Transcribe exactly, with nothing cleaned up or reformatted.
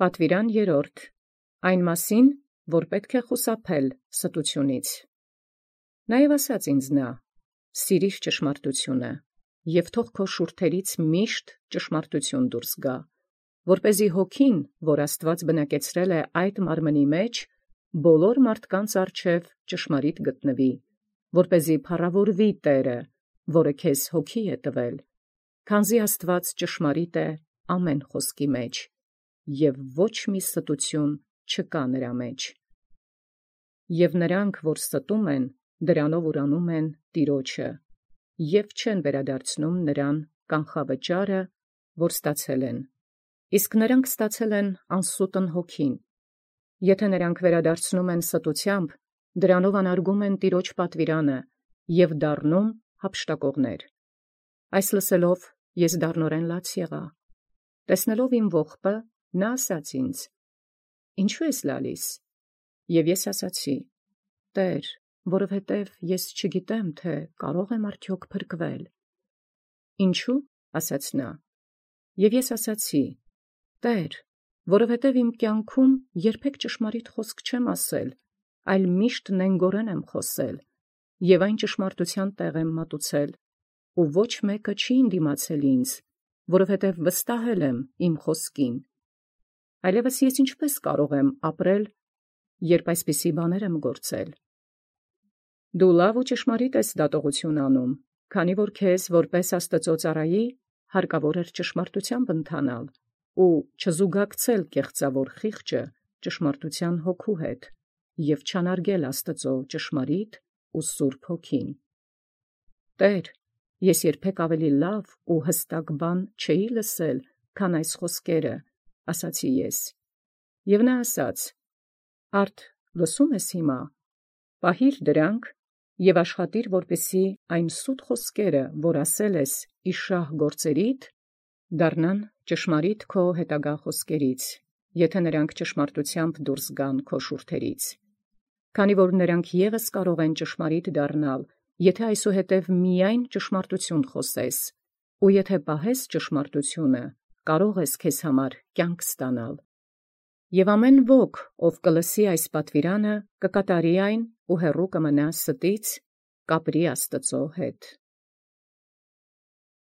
Պատվիրան երրորդ. Այն մասին, որ պետք է խուսափել ստությունից։ Նաև ասաց ինձ նա. սիրիր ճշմարտությունը, և թող քո շուրթերից միշտ ճշմարտություն դուրս գա, որպեսզի հոգին, որ Աստված բնակեցրել է այդ մարմնի մեջ, բոլոր մարդկանց առջև ճշմարիտ գտնվի, որպեսզի փառավորվի Տերը, որը քեզ հոգի է տվել, քանզի Աստված ճշմարիտ է ամեն խոսքի մեջ, և ոչ մի ստություն չկա նրա մեջ։ Եվ նրանք, որ ստում են, դրանով ուրանում են Տիրոջը, և չեն վերադարձնում նրան կանխավճարը, որ ստացել են, իսկ նրանք ստացել են անսուտն հոգին։ Եթե նրանք վերադարձնում են ստությամբ, դրանով անարգում են Տիրոջ պատվիրանը և դառնում հափշտակողներ։ Այս լսելով ես դառնորեն լաց եղա։ Տեսնելով իմ ողբը, նա ասաց ինձ. «Ինչու ես լալիս»։ Եվ ես ասացի. «Տեր, որովհետև ես չգիտեմ, թե կարո՞ղ եմ արդյոք փրկվել»։ «Ինչու՞, ասաց նա։ Եվ ես ասացի. «Տեր, որովհետև իմ կյանքում երբեք ճշմարիտ խոսք չեմ ասել, այլ միշտ նենգորեն եմ խոսել, և այն ճշմարտության տեղ եմ մատուցել, ու ոչ մեկը չի ընդդիմացել ինձ, որովհետև վստահել եմ իմ խոսքին։ Այլևս ես ինչպե՞ս կարող եմ ապրել, երբ այսպիսի բաներ եմ գործել»։ Դու լավ ու ճշմարիտ ես դատողություն անում, քանի որ քեզ որպես Աստծո ծառայի հարկավոր էր ճշմարտությամբ ընթանալ ու չզուգակցել կեղծավոր խիղճը ճշմարտության հոգու հետ և չանարգել Աստծո ճշմարիտ ու սուրբ հոգին։ «Տեր, ես երբեք ավելի լավ ու հստակ բան չէի լսել, քան այս խոսքերը», ասացի ես։ Եվ նա ասաց. «Արդ լսում ես հիմա. պահիր դրանք և աշխատիր, որպեսզի այն սուտ խոսքերը, որ ասել ես ի շահ գործերիդ, դառնան ճշմարիտ քո հետագա խոսքերից, եթե նրանք ճշմարտությամբ դուրս գան քո շուրթերից։ Քանի որ նրանք ևս կարող են ճշմարիտ դառնալ, եթե այսուհետև միայն ճշմարտություն խոսես, ու եթե պահես ճշմարտությունը, կարող ես քեզ համար կյանք ստանալ։ Եվ ամեն ոք, ով կլսի այս պատվիրանը, կկատարի այն ու հեռու կմնա ստից, կապրի Աստծո հետ»։